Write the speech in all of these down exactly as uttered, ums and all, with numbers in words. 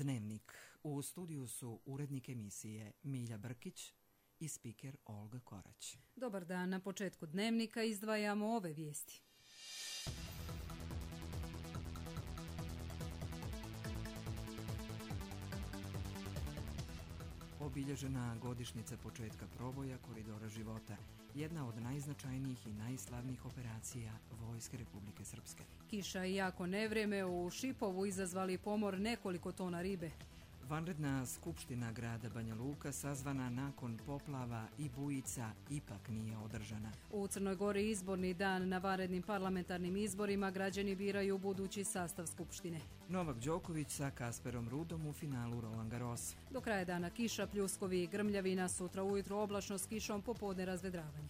Dnevnik. U studiju su urednik emisije Milja Brkić i spiker Olga Korać. Dobar dan, na početku Dnevnika izdvajamo ove vijesti. Obilježena godišnjica početka proboja Koridora života, jedna od najznačajnijih i najslavnijih operacija Vojske Republike Srpske. Kiša i jako nevrijeme u Šipovu izazvali pomor nekoliko tona ribe. Vanredna skupština grada Banja Luka sazvana nakon poplava i bujica ipak nije održana. U Crnoj Gori izborni dan, na vanrednim parlamentarnim izborima građani biraju budući sastav skupštine. Novak Đoković sa Kasperom Ruudom u finalu Roland Garros. Do kraja dana kiša, pljuskovi i grmljavina, sutra ujutro oblačno s kišom, popodne razvedravanje.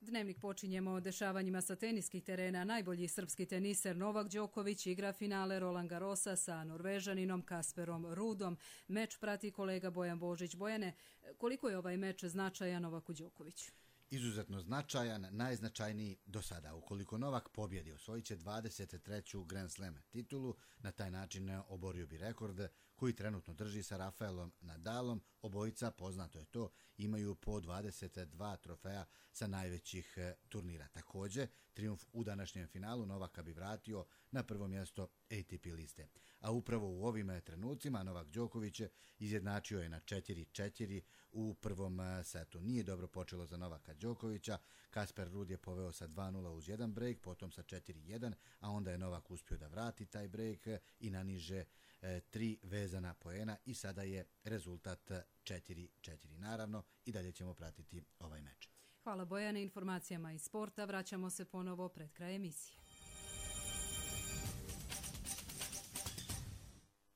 Dnevnik počinjemo dešavanjima sa teniskih terena. Najbolji srpski teniser Novak Đoković igra finale Roland Garrosa sa Norvežaninom Kasperom Ruudom. Meč prati kolega Bojan Božić. Bojane, koliko je ovaj meč značajan Novaku Đokoviću? Izuzetno značajan, najznačajniji do sada. Ukoliko Novak pobjedi, osvojit će dvadeset treću Grand Slam titulu, na taj način oborio bi rekord koji trenutno drži sa Rafaelom Nadalom. Obojica, poznato je to, imaju po dvadeset dva trofeja sa najvećih turnira. Također, trijumf u današnjem finalu Novaka bi vratio na prvo mjesto A T P liste. A upravo u ovim trenucima Novak Đoković izjednačio je na četiri četiri u prvom setu. Nije dobro počelo za Novaka Đokovića. Kasper Ruud je poveo sa dva nula uz jedan break, potom sa četiri jedan, a onda je Novak uspio da vrati taj break i naniže e, tri vezana poena i sada je rezultat četiri četiri. Naravno, i dalje ćemo pratiti ovaj meč. Hvala Bojane, informacijama iz sporta. Vraćamo se ponovo pred kraj emisije.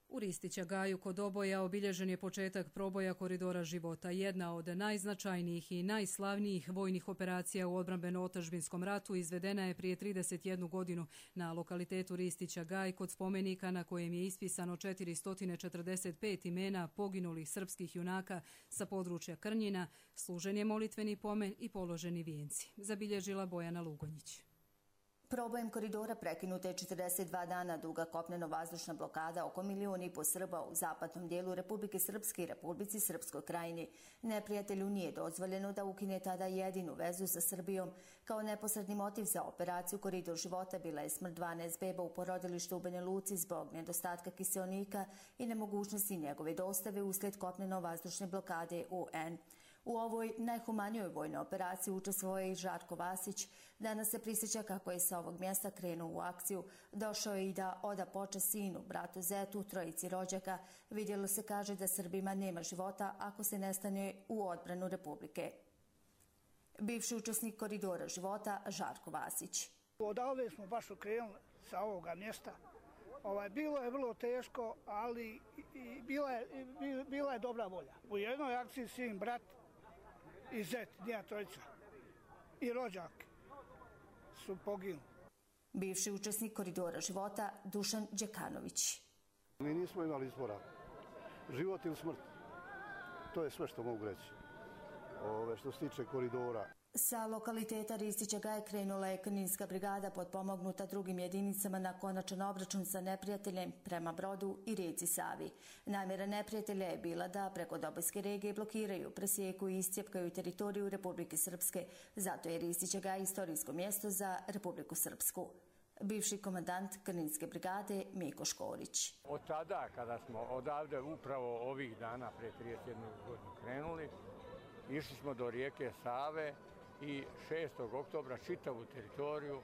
U Ristića Gaju kod Oboja obilježen je početak proboja Koridora života, jedna od najznačajnijih i najslavnijih vojnih operacija u odbrambeno-otadžbinskom ratu izvedena je prije trideset jednu godinu na lokalitetu Ristića Gaj kod spomenika na kojem je ispisano četiristo četrdeset pet imena poginulih srpskih junaka sa područja Krnjina, služen je molitveni pomen i položeni vijenci, zabilježila Bojana Lugonjić. Probojem koridora prekinuta je četrdeset dva dana duga kopneno-vazdušna blokada oko milijun i po Srba u zapadnom dijelu Republike Srpske i Republici Srpskoj krajini. Neprijatelju nije dozvoljeno da ukine tada jedinu vezu sa Srbijom. Kao neposredni motiv za operaciju Koridor života bila je smrt dvanaest beba u porodilištu u Banja Luci zbog nedostatka kiseonika i nemogućnosti njegove dostave usled kopneno-vazdušne blokade U N. U ovoj najhumanijoj vojnoj operaciji učestvovao je i Žarko Vasić. Danas se prisjeća kako je sa ovog mjesta krenuo u akciju. Došao je i da oda počast sinu, bratu Zetu, trojici rođaka. Vidjelo se, kaže, da Srbima nema života ako se ne stane u odbranu Republike. Bivši učesnik Koridora života Žarko Vasić. Odavde smo baš okrenuli sa ovoga mjesta. Ovaj, bilo je vrlo teško, ali i bila, je, i bila je dobra volja. U jednoj akciji sin, brat i zet, njena trojica i rođak su poginuli. Bivši učesnik Koridora života Dušan Đekanović. Mi nismo imali izbora. Život ili smrt. To je sve što mogu reći. Ove, što se tiče koridora. Sa lokaliteta Ristića Gaj krenula je Krninska brigada potpomognuta drugim jedinicama na konačan obračun sa neprijateljem prema Brodu i rijeci Savi. Namjera neprijatelja je bila da preko Dobojske regije blokiraju, presjeku i iscijepkaju teritoriju Republike Srpske. Zato je Ristića Gaj istorijsko mjesto za Republiku Srpsku. Bivši komandant Krninske brigade Miko Škorić. Od tada, kada smo odavde upravo ovih dana pre trideset jednu godinu krenuli, išli smo do rijeke Save i šestog oktobra čitavu teritoriju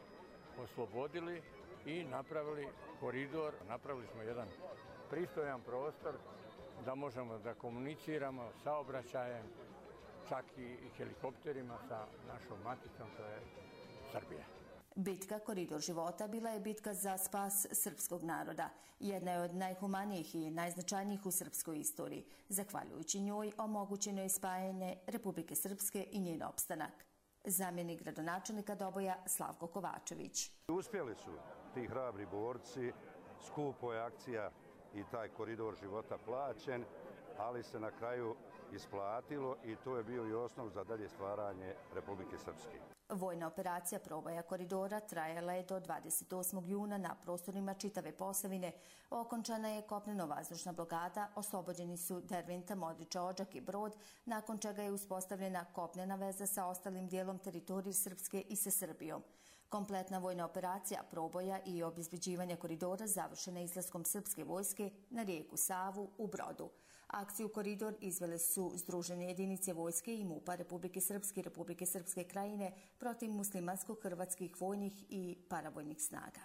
oslobodili i napravili koridor. Napravili smo jedan pristojan prostor da možemo da komuniciramo saobraćajem, čak i helikopterima sa našom maticom, to je Srbija. Bitka Koridor života bila je bitka za spas srpskog naroda. Jedna je od najhumanijih i najznačajnijih u srpskoj istoriji. Zahvaljujući njoj omogućeno je spajanje Republike Srpske i njen opstanak. Zamjenik gradonačelnika Doboja Slavko Kovačević. Uspjeli su ti hrabri borci, skupo je akcija i taj Koridor života plaćen, ali se na kraju isplatilo i to je bio i osnov za dalje stvaranje Republike Srpske. Vojna operacija proboja koridora trajala je do dvadeset osmog juna na prostorima čitave Posavine. Okončana je kopneno-vazdušna blokada, oslobođeni su Derventa, Modriča, Odžak i Brod, nakon čega je uspostavljena kopnena veza sa ostalim dijelom teritorije Srpske i sa Srbijom. Kompletna vojna operacija proboja i obezbeđivanja koridora završena izlaskom srpske vojske na rijeku Savu u Brodu. Akciju Koridor izvele su Združene jedinice vojske i MUP-a Republike Srpske i Republike Srpske krajine protiv muslimansko-hrvatskih vojnih i paravojnih snaga.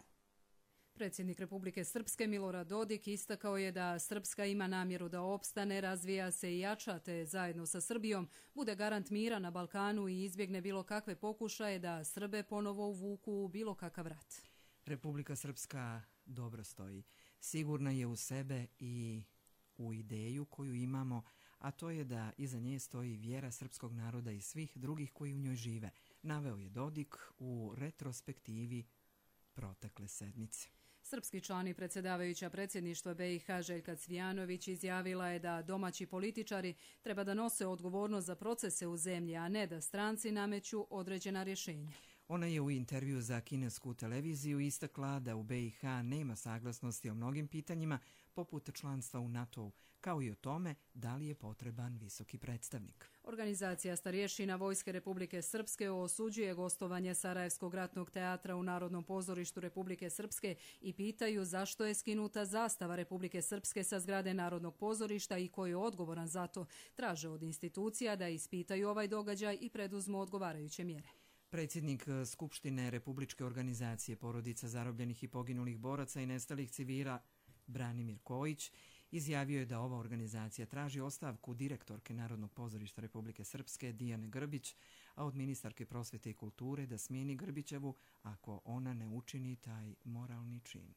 Predsjednik Republike Srpske Milorad Dodik istakao je da Srpska ima namjeru da opstane, razvija se i jača, te zajedno sa Srbijom bude garant mira na Balkanu i izbjegne bilo kakve pokušaje da Srbe ponovo uvuku u bilo kakav rat. Republika Srpska dobro stoji. Sigurna je u sebe i u ideju koju imamo, a to je da iza nje stoji vjera srpskog naroda i svih drugih koji u njoj žive, naveo je Dodik u retrospektivi protekle sedmice. Srpski član i predsjedavajuća predsjedništva B i H Željka Cvijanović izjavila je da domaći političari treba da nose odgovornost za procese u zemlji, a ne da stranci nameću određena rješenja. Ona je u intervju za kinesku televiziju istakla da u B i H nema saglasnosti o mnogim pitanjima, poput članstva u NATO-u, kao i o tome da li je potreban visoki predstavnik. Organizacija starješina Vojske Republike Srpske osuđuje gostovanje Sarajevskog ratnog teatra u Narodnom pozorištu Republike Srpske i pitaju zašto je skinuta zastava Republike Srpske sa zgrade Narodnog pozorišta i ko je odgovoran za to. Traže od institucija da ispitaju ovaj događaj i preduzmu odgovarajuće mjere. Predsjednik Skupštine Republičke organizacije porodica zarobljenih i poginulih boraca i nestalih civila Branimir Kojić izjavio je da ova organizacija traži ostavku direktorke Narodnog pozorišta Republike Srpske Dijane Grbić, a od ministarke prosvete i kulture da smijeni Grbićevu ako ona ne učini taj moralni čin.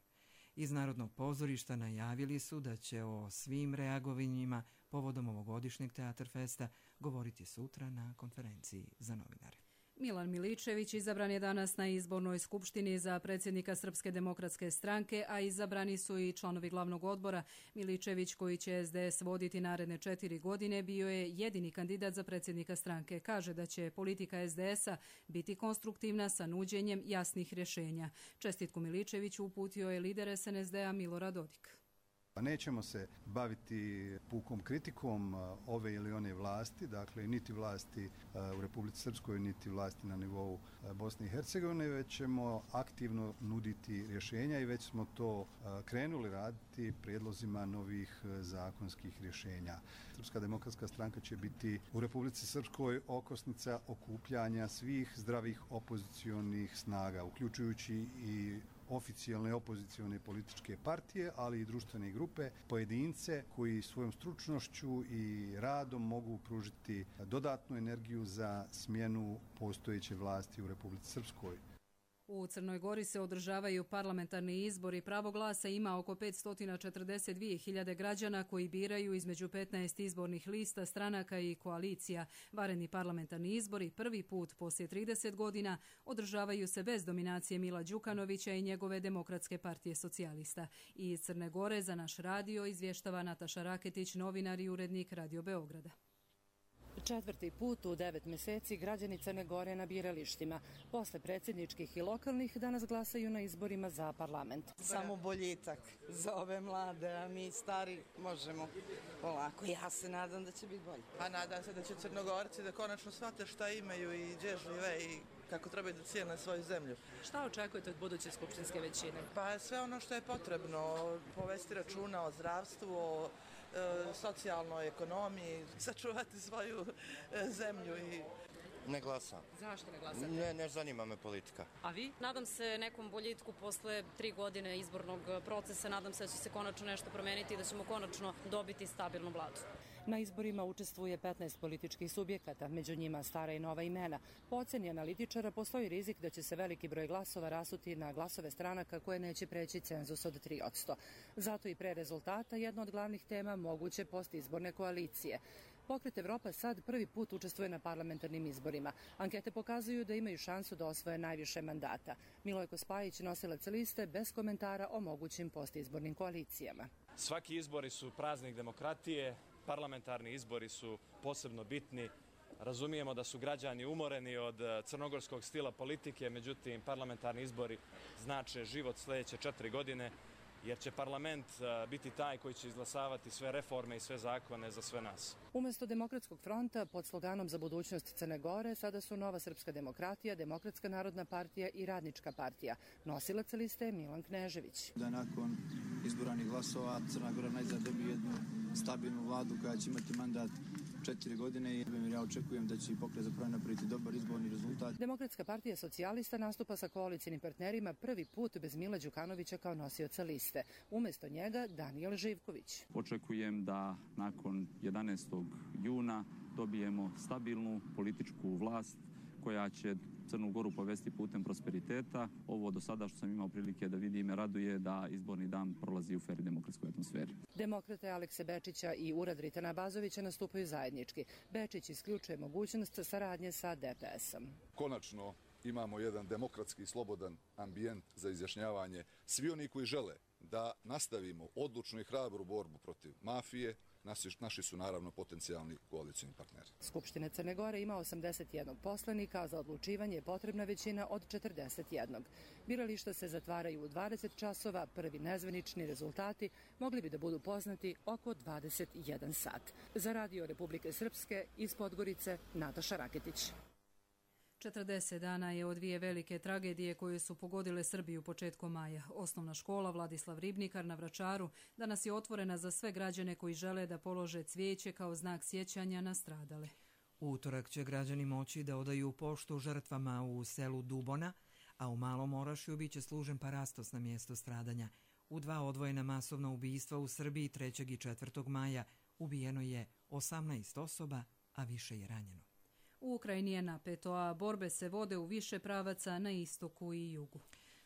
Iz Narodnog pozorišta najavili su da će o svim reagovanjima povodom ovogodišnjeg Teatar Festa govoriti sutra na konferenciji za novinare. Milan Miličević izabran je danas na izbornoj skupštini za predsjednika Srpske demokratske stranke, a izabrani su i članovi glavnog odbora. Miličević, koji će S D S voditi naredne četiri godine, bio je jedini kandidat za predsjednika stranke. Kaže da će politika S D S-a biti konstruktivna sa nuđenjem jasnih rješenja. Čestitku Miličeviću uputio je lider S N S D-a Milorad Dodik. Nećemo se baviti pukom kritikom ove ili one vlasti, dakle niti vlasti u Republici Srpskoj, niti vlasti na nivou Bosne i Hercegovine, već ćemo aktivno nuditi rješenja i već smo to krenuli raditi prijedlozima novih zakonskih rješenja. Srpska demokratska stranka će biti u Republici Srpskoj okosnica okupljanja svih zdravih opozicionih snaga, uključujući i oficijalne opozicione političke partije, ali i društvene grupe, pojedince koji svojom stručnošću i radom mogu pružiti dodatnu energiju za smjenu postojeće vlasti u Republici Srpskoj. U Crnoj Gori se održavaju parlamentarni izbori. Pravo glasa ima oko petsto četrdeset dvije hiljade građana koji biraju između petnaest izbornih lista, stranaka i koalicija. Vanredni parlamentarni izbori prvi put poslije trideset godina održavaju se bez dominacije Mila Đukanovića i njegove Demokratske partije socijalista. Iz Crne Gore za naš radio izvještava Nataša Raketić, novinar i urednik Radio Beograda. Četvrti put u devet mjeseci građani Crne Gore na biralištima. Posle predsjedničkih i lokalnih danas glasaju na izborima za parlament. Samo boljitak za ove mlade, a mi stari možemo polako. Ja se nadam da će biti bolje. A nadam se da će Crnogorci da konačno shvate šta imaju i gdje žive i kako trebaju da cijene svoju zemlju. Šta očekujete od buduće skupštinske većine? Pa sve ono što je potrebno, povesti računa o zdravstvu, o socijalnoj ekonomiji, sačuvati svoju zemlju i... Ne glasam. Zašto ne glasate? Ne, ne zanima me politika. A vi? Nadam se nekom boljitku posle tri godine izbornog procesa, nadam se da će se konačno nešto promeniti i da ćemo konačno dobiti stabilnu vladu. Na izborima učestvuje petnaest političkih subjekata, među njima stara i nova imena. Po oceni analitičara postoji rizik da će se veliki broj glasova rasuti na glasove stranaka koje neće preći cenzus od tri posto. Zato i pre rezultata jedna od glavnih tema moguće postizborne koalicije. Pokret Evropa sad prvi put učestvuje na parlamentarnim izborima. Ankete pokazuju da imaju šansu da osvoje najviše mandata. Milojko Spajić, nosilac liste, bez komentara o mogućim postizbornim koalicijama. Svaki izbori su praznik demokratije, parlamentarni izbori su posebno bitni Razumijemo da su građani umoreni od crnogorskog stila politike, međutim parlamentarni izbori znače život sljedeće četiri godine, jer će parlament biti taj koji će izglasavati sve reforme i sve zakone za sve nas. Umjesto Demokratskog fronta pod sloganom za budućnost Crne Gore sada su Nova srpska demokratija, Demokratska narodna partija i Radnička partija. Nosilac liste je Milan Knežević. Da nakon izboranih glasova Crna Gora najzad dobije jednu stabilnu vladu koja će imati mandat četiri godine i ja očekujem da će Pokret za promjenu napraviti dobar izborni rezultat. Demokratska partija socijalista nastupa sa koalicijnim partnerima prvi put bez Mila Đukanovića kao nosioca liste. Umjesto njega Danijel Živković. Očekujem da nakon jedanaestog juna dobijemo stabilnu političku vlast koja će Crnu Goru povesti putem prosperiteta. Ovo do sada što sam imao prilike da vidim me raduje da izborni dan prolazi u fer demokratskoj atmosferi. Demokrate Alekse Bečića i Urad Ritana Bazovića nastupaju zajednički. Bečić isključuje mogućnost saradnje sa D P S-om. Konačno imamo jedan demokratski i slobodan ambijent za izjašnjavanje. Svi oni koji žele da nastavimo odlučnu i hrabru borbu protiv mafije, naši su naravno potencijalni koalicijni partneri. Skupština Crne Gore ima osamdeset jedan poslanika, a za odlučivanje je potrebna većina od četrdeset jedan. Birališta se zatvaraju u dvadeset časova, prvi nezvanični rezultati mogli bi da budu poznati oko dvadeset jedan sat. Za Radio Republike Srpske iz Podgorice, Nataša Raketić. četrdeset dana je od dvije velike tragedije koje su pogodile Srbiju početkom maja. Osnovna škola Vladislav Ribnikar na Vračaru danas je otvorena za sve građane koji žele da polože cvijeće kao znak sjećanja na stradale. U utorak će građani moći da odaju poštu žrtvama u selu Dubona, a u Malom Orašju biće služen parastos na mjesto stradanja. U dva odvojena masovna ubistva u Srbiji trećeg i četvrtog maja ubijeno je osamnaest osoba, a više je ranjeno. U Ukrajini je napeto, a borbe se vode u više pravaca na istoku i jugu.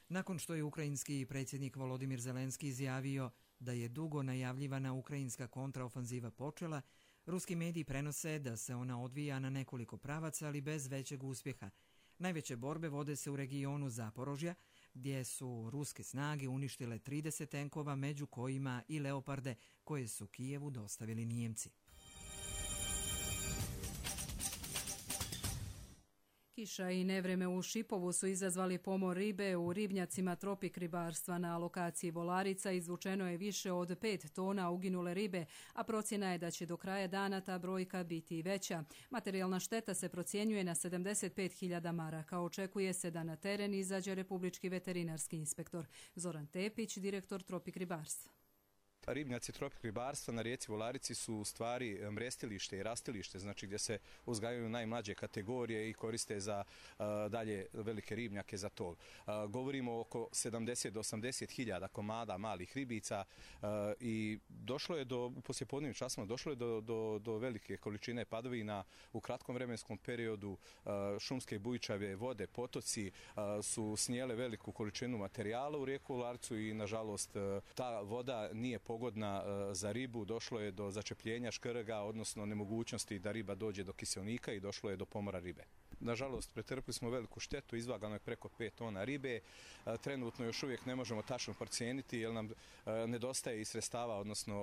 Nakon što je ukrajinski predsjednik Volodimir Zelenski izjavio da je dugo najavljivana ukrajinska kontraofanziva počela, ruski mediji prenose da se ona odvija na nekoliko pravaca, ali bez većeg uspjeha. Najveće borbe vode se u regionu Zaporožja, gdje su ruske snage uništile trideset tenkova, među kojima i Leoparde, koje su Kijevu dostavili Nijemci. Kiša i nevreme u Šipovu su izazvali pomor ribe u ribnjacima Tropik ribarstva. Na lokaciji Volarica izvučeno je više od pet tona uginule ribe, a procjena je da će do kraja dana ta brojka biti i veća. Materijalna šteta se procjenjuje na sedamdeset pet hiljada maraka. Očekuje se da na teren izađe Republički veterinarski inspektor. Zoran Tepić, direktor Tropik ribarstva. Ribnjaci Tropik ribarstva na rijeci Volarici su u stvari mrestilište i rastilište, znači gdje se uzgajaju najmlađe kategorije i koriste za uh, dalje velike ribnjake za tov. Uh, govorimo oko sedamdeset do osamdeset hiljada komada malih ribica uh, i došlo je do, u poslijepodnevnim časima, došlo je do, do, do velike količine padovina u kratkom vremenskom periodu. Uh, šumske bujičave vode, potoci uh, su snijele veliku količinu materijala u rijeku Volaricu i nažalost uh, ta voda nije pogodna za ribu, došlo je do začepljenja škrga, odnosno nemogućnosti da riba dođe do kiselnika i došlo je do pomora ribe. Nažalost, pretrpili smo veliku štetu, izvagano je preko pet tona ribe. Trenutno još uvijek ne možemo tačno procijeniti jer nam nedostaje i sredstava, odnosno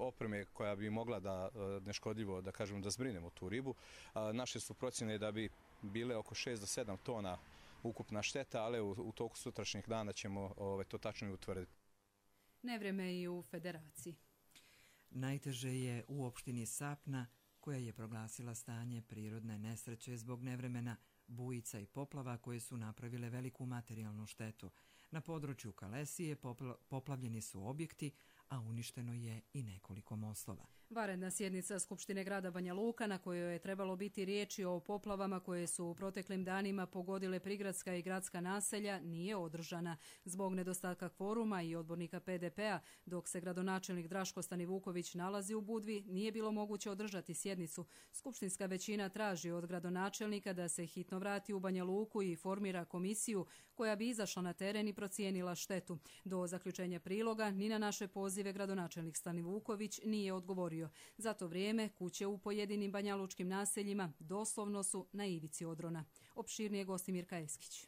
opreme koja bi mogla da neškodljivo, da kažem, da zbrinemo tu ribu. Naše su procjene da bi bile oko šest do sedam tona ukupna šteta, ali u, u toku sutrašnjih dana ćemo ove, to tačno i utvrditi. Nevreme i u Federaciji. Najteže je u opštini Sapna, koja je proglasila stanje prirodne nesreće zbog nevremena, bujica i poplava koje su napravile veliku materijalnu štetu. Na području Kalesije popla- poplavljeni su objekti, a uništeno je i nekoliko mostova. Vanredna sjednica Skupštine grada Banja Luka, na kojoj je trebalo biti riječi o poplavama koje su u proteklim danima pogodile prigradska i gradska naselja, nije održana. Zbog nedostatka kvoruma i odbornika P D P-a, dok se gradonačelnik Draško Stanivuković nalazi u Budvi, nije bilo moguće održati sjednicu. Skupštinska većina traži od gradonačelnika da se hitno vrati u Banja Luku i formira komisiju koja bi izašla na teren i procijenila štetu. Do zaključenja priloga ni na naše pozive gradonačelnik Stanivuković nije odgovorio. Za to vrijeme kuće u pojedinim banjalučkim naseljima doslovno su na ivici odrona. Opširnije Gostimir Kajeskić.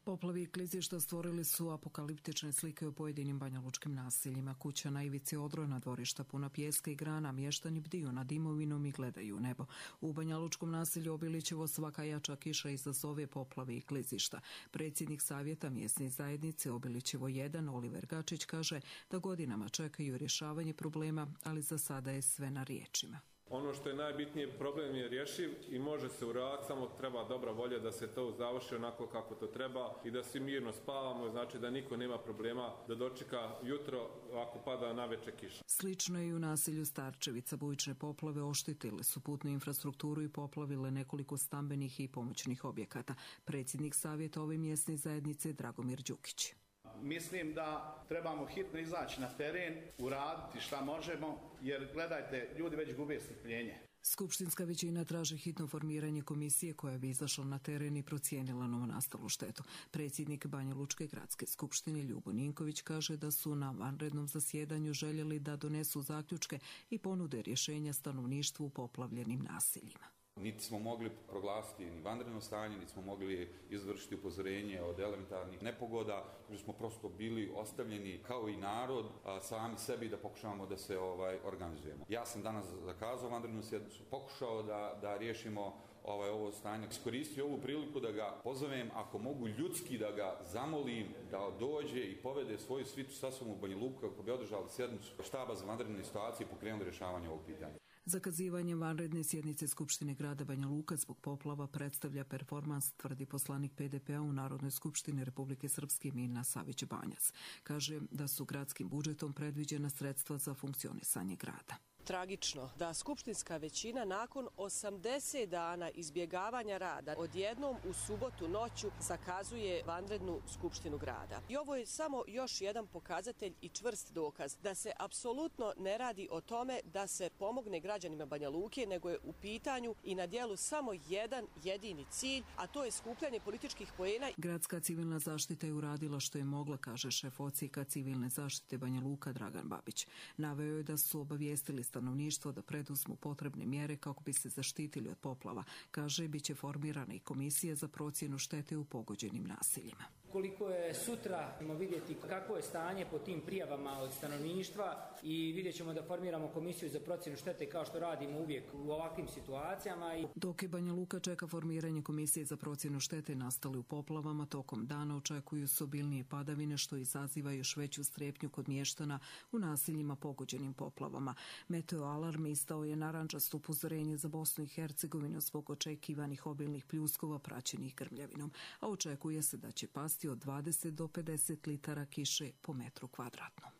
Poplavi i klizišta stvorili su apokaliptične slike u pojedinim banjalučkim naseljima. Kuća na ivici odrojna, dvorišta puna pijeska i grana, mještani bdiju nad imovinom i gledaju u nebo. U banjalučkom naselju Obilićevo svaka jača kiša izazove poplavi i klizišta. Predsjednik savjeta mjesne zajednice Obilićevo jedan, Oliver Gačić, kaže da godinama čekaju rješavanje problema, ali za sada je sve na riječima. Ono što je najbitnije, problem je rješiv i može se uraditi, samo treba dobra volja da se to završi onako kako to treba i da svi mirno spavamo, znači da niko nema problema da dočeka jutro ako pada naveče kiša. Slično je i u naselju Starčevica. Bujične poplave oštetile su putnu infrastrukturu i poplavile nekoliko stambenih i pomoćnih objekata. Predsjednik savjeta ove mjesne zajednice Dragomir Đukić. Mislim da trebamo hitno izaći na teren, uraditi šta možemo, jer gledajte, ljudi već gube strpljenje. Skupštinska većina traži hitno formiranje komisije koja bi izašla na teren i procijenila novonastalu štetu. Predsjednik Banjalučke gradske skupštine Ljubo Ninković kaže da su na vanrednom zasjedanju željeli da donesu zaključke i ponude rješenja stanovništvu u poplavljenim naseljima. Niti smo mogli proglasiti ni vanredno stanje, niti smo mogli izvršiti upozorenje od elementarnih nepogoda, jer smo prosto bili ostavljeni kao i narod a, sami sebi da pokušavamo da se ovaj, organizujemo. Ja sam danas zakazao vanrednu sjednicu, pokušao da, da riješimo ovaj, ovo stanje. Iskoristio ovu priliku da ga pozovem, ako mogu ljudski da ga zamolim da dođe i povede svoju svitu sa sobom u Banja Luku kako bi održali sjednicu štaba za vanredne situacije i pokrenuli rješavanje ovog pitanja. Zakazivanjem vanredne sjednice Skupštine grada Banja Luka zbog poplava predstavlja performans, tvrdi poslanik P D P-a u Narodnoj skupštini Republike Srpske Milna Savić Banjac. Kaže da su gradskim budžetom predviđena sredstva za funkcionisanje grada. Tragično da skupštinska većina nakon osamdeset dana izbjegavanja rada odjednom u subotu noću zakazuje vanrednu skupštinu grada. I ovo je samo još jedan pokazatelj i čvrst dokaz da se apsolutno ne radi o tome da se pomogne građanima Banja Luke, nego je u pitanju i na dijelu samo jedan jedini cilj, a to je skupljanje političkih poena. Gradska civilna zaštita je uradila što je mogla, kaže šef odsjeka civilne zaštite Banja Luka Dragan Babić. Naveo je da su obavijestili stanovništvo da preduzmu potrebne mjere kako bi se zaštitili od poplava. Kaže, bit će formirana i komisija za procjenu štete u pogođenim naseljima. Koliko je sutra, ćemo vidjeti kako je stanje po tim prijavama od stanovništva i vidjet ćemo da formiramo komisiju za procjenu štete kao što radimo uvijek u ovakvim situacijama. Dok je Banja Luka čeka formiranje komisije za procjenu štete nastale u poplavama, tokom dana očekuju se obilnije padavine što izaziva još veću strepnju kod mještana u naseljima pogođenim poplavama. Meteo alarm izdao je narandžasto upozorenje za Bosnu i Hercegovinu zbog očekivanih obilnih pljuskova praćenih grmljavinom, a očekuje se da će pasti od dvadeset do pedeset litara kiše po metru kvadratnom.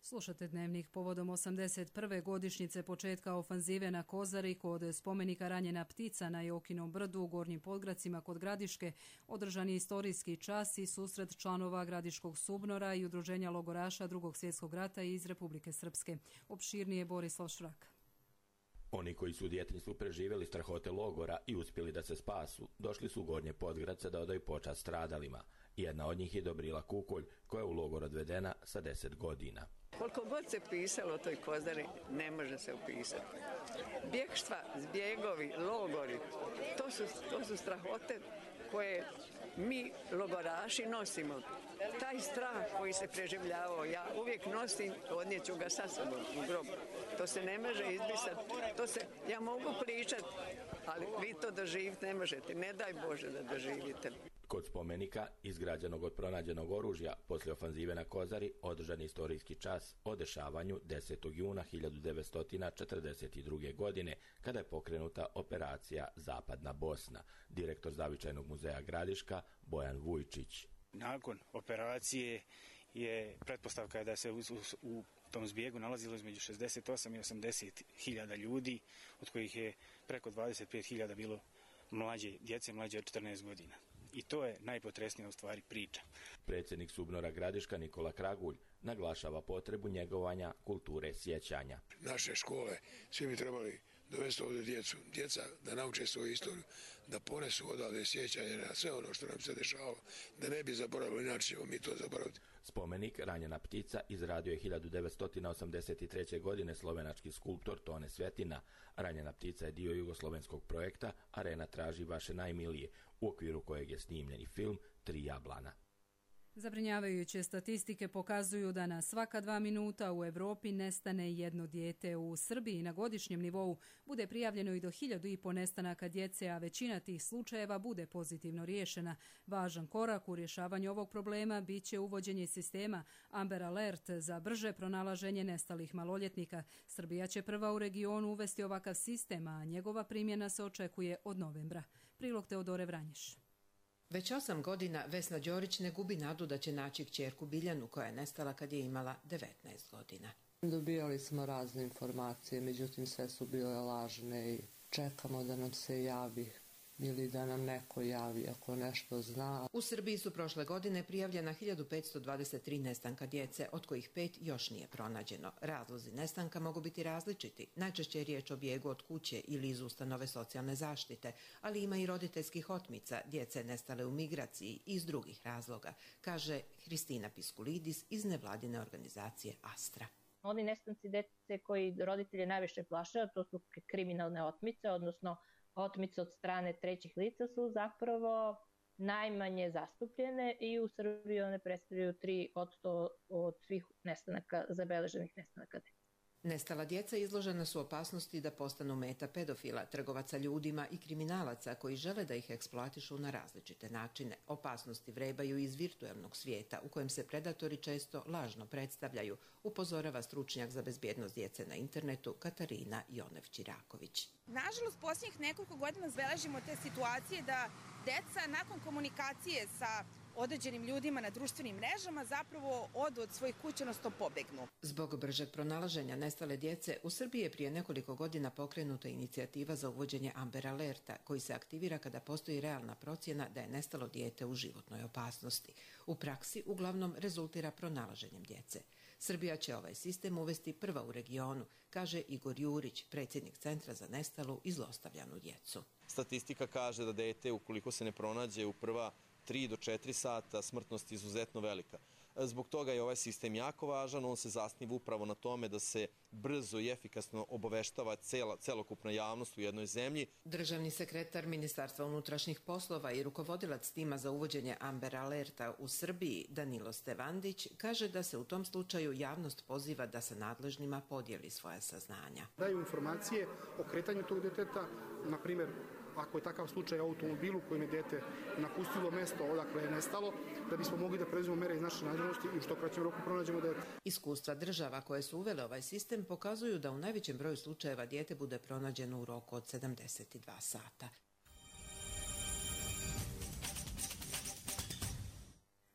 Slušate Dnevnik povodom osamdeset prve godišnjice početka ofanzive na Kozari kod spomenika Ranjena ptica na Jokinom brdu u Gornjim Podgracima kod Gradiške. Održan je istorijski čas i susret članova Gradiškog SUBNOR-a i udruženja logoraša Drugog svjetskog rata iz Republike Srpske. Opširnije Borislav Šrak. Oni koji su u djetinjstvu preživjeli strahote logora i uspjeli da se spasu, došli su u Gornje Podgrace da odaju počast stradalima. Jedna od njih je Dobrila Kukolj, koja je u logor odvedena sa deset godina. Koliko god se pisalo o toj Kozari, ne može se upisati. Bjegštva, zbjegovi, logori, to su, to su strahote koje mi logoraši nosimo. Taj strah koji se preživljavao, ja uvijek nosim, odnijeću ga sa sobom u grob. To se ne može izbrisati. To se, ja mogu pričati, ali vi to doživjeti ne možete. Ne daj Bože da doživite. Kod spomenika, izgrađenog od pronađenog oružja, poslije ofanzive na Kozari, održan je istorijski čas o dešavanju desetog juna hiljadu devetsto četrdeset druge. godine, kada je pokrenuta operacija Zapadna Bosna. Direktor Zavičajnog muzeja Gradiška, Bojan Vujčić. Nakon operacije je pretpostavka da se u, u, u tom zbjegu nalazilo između šezdeset osam i osamdeset hiljada ljudi, od kojih je preko dvadeset pet hiljada bilo mlađe djece, mlađe od četrnaest godina. I to je najpotresnija u stvari priča. Predsjednik SUBNOR-a Gradiška Nikola Kragulj naglašava potrebu njegovanja kulture sjećanja. Naše škole, svi bi trebali dovesti ovdje djecu, djeca da nauče svoju istoriju, da ponesu odavde sjećanje na sve ono što nam se dešavalo, da ne bi zaboravili, inače ćemo mi to zaboraviti. Spomenik Ranjena ptica izradio je hiljadu devetsto osamdeset treće. godine slovenački skulptor Tone Svetina. Ranjena ptica je dio jugoslovenskog projekta Arena traži vaše najmilije, u okviru kojeg je snimljen i film Tri jablana. Zabrinjavajuće statistike pokazuju da na svaka dva minuta u Evropi nestane jedno dijete. U Srbiji na godišnjem nivou bude prijavljeno i do hiljadu i po nestanaka djece, a većina tih slučajeva bude pozitivno riješena. Važan korak u rješavanju ovog problema bit će uvođenje sistema Amber Alert za brže pronalaženje nestalih maloljetnika. Srbija će prva u regionu uvesti ovakav sistem, a njegova primjena se očekuje od novembra. Prilog Teodore Vranješ. Već osam godina Vesna Đorić ne gubi nadu da će naći kćerku Biljanu koja je nestala kad je imala devetnaest godina. Dobijali smo razne informacije, međutim sve su bile lažne i čekamo da nam se javi ili da nam neko javi ako nešto zna. U Srbiji su prošle godine prijavljena hiljadu petsto dvadeset tri nestanka djece, od kojih pet još nije pronađeno. Razlozi nestanka mogu biti različiti. Najčešće je riječ o bijegu od kuće ili iz ustanove socijalne zaštite, ali ima i roditeljskih otmica, djece nestale u migraciji i iz drugih razloga, kaže Hristina Piskulidis iz nevladine organizacije Astra. Oni nestanci djece koji roditelje najviše plaše, to su kriminalne otmice, odnosno otmice od strane trećih lica, su zapravo najmanje zastupljene i u Srbiji one predstavljaju tri posto od svih nestanaka, zabeleženih nestanaka djece. Nestala djeca izložena su opasnosti da postanu meta pedofila, trgovaca ljudima i kriminalaca koji žele da ih eksploatišu na različite načine. Opasnosti vrebaju iz virtualnog svijeta u kojem se predatori često lažno predstavljaju, upozorava stručnjak za bezbjednost djece na internetu Katarina Jonev-Ćiraković. Nažalost, posljednjih nekoliko godina zabeležimo te situacije da djeca nakon komunikacije sa određenim ljudima na društvenim mrežama zapravo odu od svojih kuća, odnosno pobegnu. Zbog bržeg pronalaženja nestale djece, u Srbiji je prije nekoliko godina pokrenuta inicijativa za uvođenje Amber Alerta, koji se aktivira kada postoji realna procjena da je nestalo dijete u životnoj opasnosti. U praksi uglavnom rezultira pronalaženjem djece. Srbija će ovaj sistem uvesti prva u regionu, kaže Igor Jurić, predsjednik Centra za nestalu i zlostavljanu djecu. Statistika kaže da dete, ukoliko se ne pronađe u prva tri do četiri sata, smrtnost je izuzetno velika. Zbog toga je ovaj sistem jako važan, on se zasniva upravo na tome da se brzo i efikasno obaveštava cela, celokupna javnost u jednoj zemlji. Državni sekretar Ministarstva unutrašnjih poslova i rukovodilac tima za uvođenje Amber Alerta u Srbiji, Danilo Stevandić, kaže da se u tom slučaju javnost poziva da sa nadležnima podijeli svoja saznanja. Daju informacije o kretanju tog deteta, na primjer, ako je takav slučaj u automobilu kojim je dete napustilo mesto odakle je nestalo, da bismo mogli da preuzmemo mere iz naše nadležnosti i u što kraćem roku pronađemo dete. Iskustva država koje su uvele ovaj sistem pokazuju da u najvećem broju slučajeva dijete bude pronađeno u roku od sedamdeset dva sata.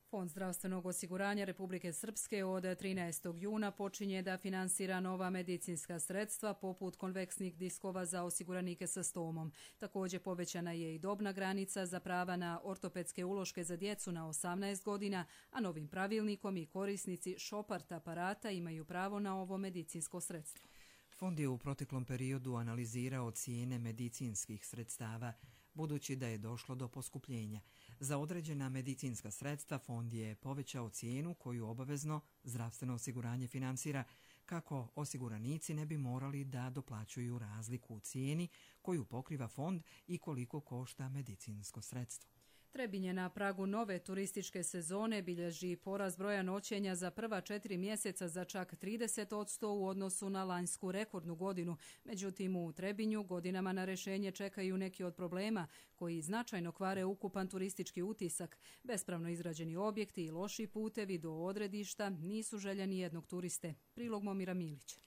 Fond zdravstvenog osiguranja Republike Srpske od trinaestog juna počinje da finansira nova medicinska sredstva poput konveksnih diskova za osiguranike sa stomom. Također povećana je i dobna granica za prava na ortopedske uloške za djecu na osamnaest godina, a novim pravilnikom i korisnici Šopart aparata imaju pravo na ovo medicinsko sredstvo. Fond je u proteklom periodu analizirao cijene medicinskih sredstava, budući da je došlo do poskupljenja. Za određena medicinska sredstva fond je povećao cijenu koju obavezno zdravstveno osiguranje finansira, kako osiguranici ne bi morali da doplaćuju razliku u cijeni koju pokriva fond i koliko košta medicinsko sredstvo. Trebinje je na pragu nove turističke sezone, bilježi porast broja noćenja za prva četiri mjeseca za čak trideset posto u odnosu na lanjsku rekordnu godinu. Međutim, u Trebinju godinama na rješenje čekaju neki od problema koji značajno kvare ukupan turistički utisak. Bespravno izgrađeni objekti i loši putevi do odredišta nisu željeni jednog turiste. Prilog Momira Milića.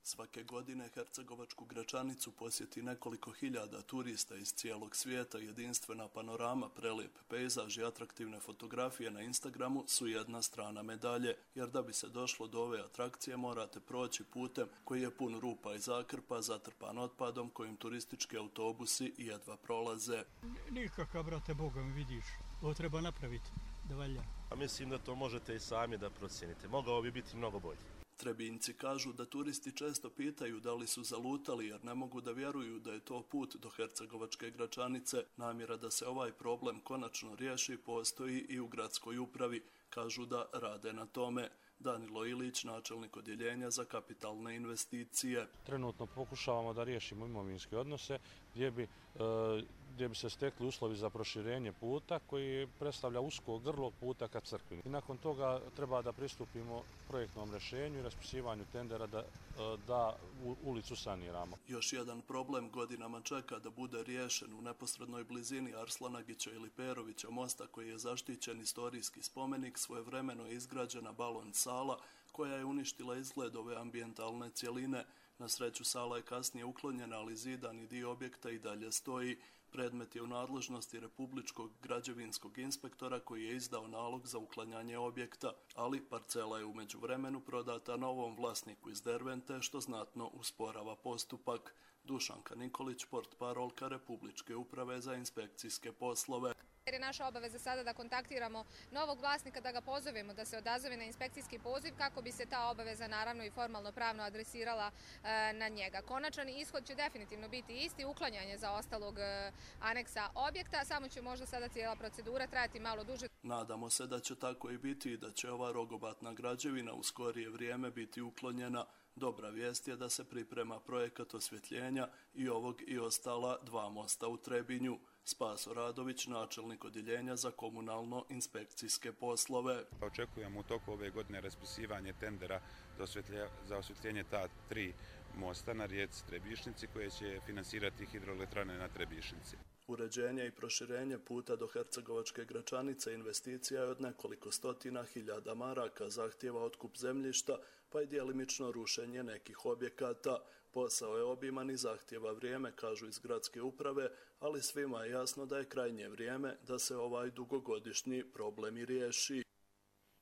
Svake godine Hercegovačku Gračanicu posjeti nekoliko hiljada turista iz cijelog svijeta. Jedinstvena panorama, prelijep pejzaž i atraktivne fotografije na Instagramu su jedna strana medalje, jer da bi se došlo do ove atrakcije morate proći putem koji je pun rupa i zakrpa, zatrpan otpadom kojim turistički autobusi jedva prolaze. Nikakav, brate, Boga mi vidiš, ovo treba napraviti da valja. A mislim da to možete i sami da procijenite. Mogao bi biti mnogo bolje. Trebinjci kažu da turisti često pitaju da li su zalutali jer ne mogu da vjeruju da je to put do hercegovačke Gračanice. Namjera da se ovaj problem konačno riješi postoji i u gradskoj upravi. Kažu da rade na tome. Danilo Ilić, načelnik odjeljenja za kapitalne investicije. Trenutno pokušavamo da riješimo imovinske odnose gdje bi, gdje bi se stekli uslovi za proširenje puta koji predstavlja usko grlo puta ka crkvi. I nakon toga treba da pristupimo projektnom rješenju i raspisivanju tendera da, da ulicu saniramo. Još jedan problem godinama čeka da bude riješen u neposrednoj blizini Arslanagića ili Perovića mosta koji je zaštićen istorijski spomenik. Svojevremeno je izgrađena balon sala koja je uništila izgled ove ambijentalne cjeline. Na sreću sala je kasnije uklonjena, ali zidani dio objekta i dalje stoji. Predmet je u nadležnosti Republičkog građevinskog inspektora koji je izdao nalog za uklanjanje objekta, ali parcela je u međuvremenu prodata novom vlasniku iz Dervente, što znatno usporava postupak. Dušanka Nikolić, portparolka Republičke uprave za inspekcijske poslove. Jer je naša obaveza sada da kontaktiramo novog vlasnika, da ga pozovemo da se odazove na inspekcijski poziv kako bi se ta obaveza naravno i formalno pravno adresirala e, na njega. Konačan ishod će definitivno biti isti, uklanjanje za ostalog e, aneksa objekta, samo će možda sada cijela procedura trajati malo duže. Nadamo se da će tako i biti i da će ova rogobatna građevina u skorije vrijeme biti uklonjena. Dobra vijest je da se priprema projekat osvjetljenja i ovog i ostala dva mosta u Trebinju. Spaso Radović, načelnik odjeljenja za komunalno-inspekcijske poslove. Očekujemo u toku ove godine raspisivanje tendera za osvjetljenje ta tri mosta na rijeci Trebišnici koje će finansirati hidroelektrane na Trebišnici. Uređenje i proširenje puta do hercegovačke Gračanice investicija je od nekoliko stotina hiljada maraka, zahtjeva otkup zemljišta, pa i djelimično rušenje nekih objekata. Posao je obiman i zahtjeva vrijeme, kažu iz gradske uprave, ali svima je jasno da je krajnje vrijeme da se ovaj dugogodišnji problem i riješi.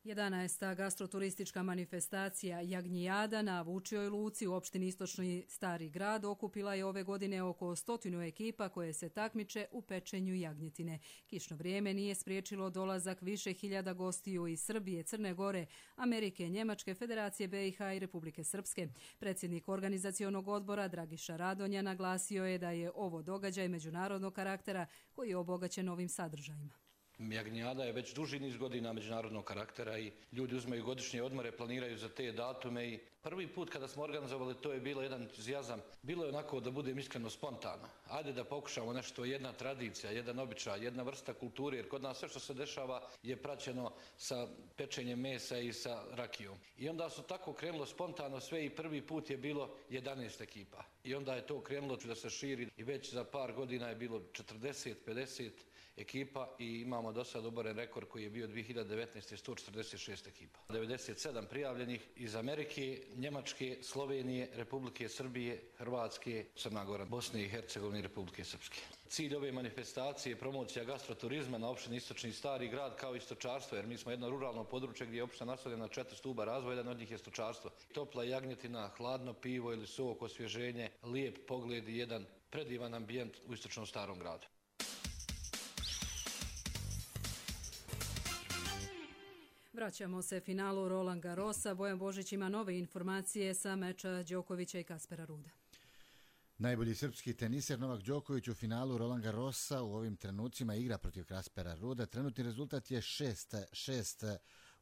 jedanaesta gastroturistička manifestacija Jagnjijada na Vučijoj luci u opštini Istočni Stari grad okupila je ove godine oko stotinu ekipa koje se takmiče u pečenju jagnjetine. Kišno vrijeme nije spriječilo dolazak više hiljada gostiju iz Srbije, Crne Gore, Amerike, Njemačke, Federacije B i H i Republike Srpske. Predsjednik organizacionog odbora Dragiša Radonja naglasio je da je ovo događaj međunarodnog karaktera koji je obogaćen ovim sadržajima. Jagnjijada je već duži niz godina međunarodnog karaktera i ljudi uzmaju godišnje odmore, planiraju za te datume i prvi put kada smo organizovali to je bilo jedan entuzijazam. Bilo je onako, da budem iskreno, spontano. Ajde da pokušamo nešto, jedna tradicija, jedan običaj, jedna vrsta kulture, jer kod nas sve što se dešava je praćeno sa pečenjem mesa i sa rakijom. I onda su tako krenulo spontano sve i prvi put je bilo jedanaest ekipa. I onda je to krenulo da se širi i već za par godina je bilo četrdeset pedeset ekipa i imamo do sad oboren rekord koji je bio dvije hiljade devetnaeste. sto četrdeset šest ekipa. devedeset sedam prijavljenih iz Amerike, Njemačke, Slovenije, Republike Srbije, Hrvatske, Crna Gora, Bosne i Hercegovine i Republike Srpske. Cilj ove manifestacije je promocija gastroturizma na opštini Istočni Stari grad kao i stočarstvo, jer mi smo jedno ruralno područje gdje je opština nastavljena na četiri stuba razvoja, jedan od njih je stočarstvo. Topla jagnjetina, hladno pivo ili sok, osvježenje, lijep pogled i jedan predivan ambijent u Istočnom Starom gradu. Vraćamo se finalu Roland Garrosa. Bojan Božić ima nove informacije sa meča Đokovića i Kaspera Ruda. Najbolji srpski teniser Novak Đoković u finalu Roland Garrosa u ovim trenucima igra protiv Kaspera Ruda. Trenutni rezultat je šest šest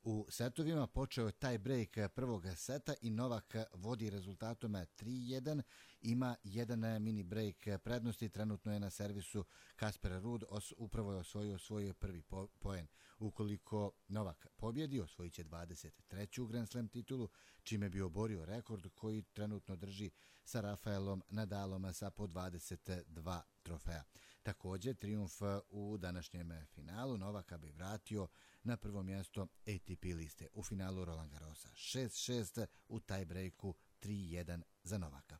u setovima. Počeo je taj break prvog seta i Novak vodi rezultatom tri jedan. Ima jedan mini break prednosti. Trenutno je na servisu Kasper Ruud. Os, upravo je osvojio svoj prvi po, poen. Ukoliko Novak pobjedi, osvojit će dvadeset treću Grand Slam titulu, čime bi oborio rekord koji trenutno drži sa Rafaelom Nadalom sa po dvadeset dva trofeja. Također, trijumf u današnjem finalu Novaka bi vratio na prvo mjesto A T P liste u finalu Roland Garrosa. šest šest u tiebreaku, tri jedan za Novaka.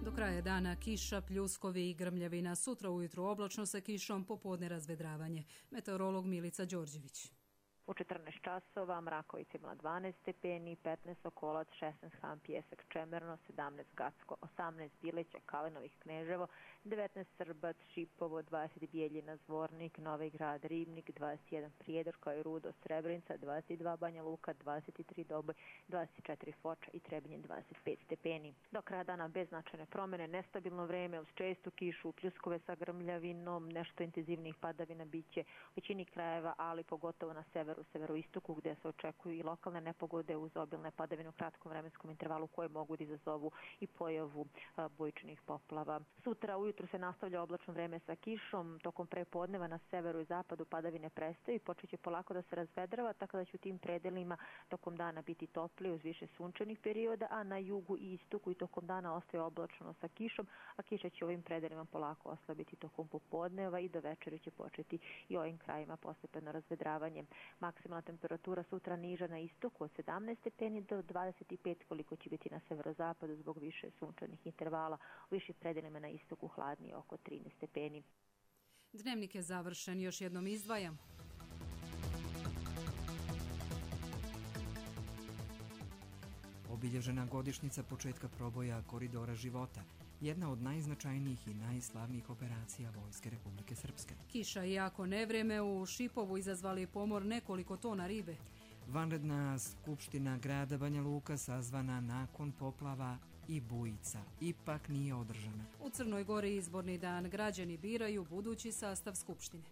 Do kraja dana kiša, pljuskovi i grmljavina. Sutra ujutro oblačno sa kišom, popodne razvedravanje. Meteorolog Milica Đorđević. U četrnaest časova Mrakovica imala dvanaest stepeni, petnaest Sokolac, šesnaest Han Pijesak, Čemerno, sedamnaest Gacko, osamnaest Bileća, Kalinovih, Kneževo, devetnaest Srbac, Šipovo, dvadeset Bijeljina, Zvornik, Novi Grad, Ribnik, dvadeset jedan Prijedor kao i Rudo, Srebrenica, dvadeset dva Banja Luka, dvadeset tri Doboj, dvadeset četiri Foča i Trebinje, dvadeset pet stepeni. Do kraja dana bez značajne promjene, nestabilno vreme uz čestu kišu, pljuskove sa grmljavinom, nešto intenzivnijih padavina biće u većini krajeva, ali pogotovo na severu, severoistoku gdje se očekuju i lokalne nepogode uz obilne padavine u kratkom vremenskom intervalu koje mogu da izazovu i pojavu a, bujičnih poplava. Sutra ujutru se nastavlja oblačno vreme sa kišom, tokom prepodneva na severu i zapadu padavine prestaju i počeće polako da se razvedrava, tako da će u tim predelima tokom dana biti toplije uz više sunčanih perioda, a na jugu i istoku i tokom dana ostaje oblačno sa kišom, a kiša će u ovim predelima polako oslabiti tokom popodneva i do večera će početi i ovim krajima postepeno razvedravanje. Maksimalna temperatura sutra niža na istoku od sedamnaest stepeni do dvadeset pet koliko će biti na severozapadu zbog više sunčanih intervala, u višim predelima na istoku hladnije oko trinaest stepeni. Dnevnik je završen, još jednom izdvajam. Obilježena godišnjica početka proboja Koridora života, jedna od najznačajnijih i najslavnijih operacija Vojske Republike Srpske. Kiša i jako nevreme u Šipovu izazvali pomor nekoliko tona ribe. Vanredna skupština grada Banja Luka sazvana nakon poplava i bujica ipak nije održana. U Crnoj Gori izborni dan, građani biraju budući sastav skupštine.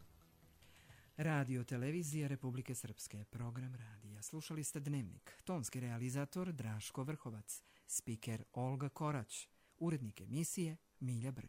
Radio televizija Republike Srpske, program radija. Slušali ste Dnevnik, tonski realizator Draško Vrhovac, spiker Olga Korać, urednik emisije Milja Brk.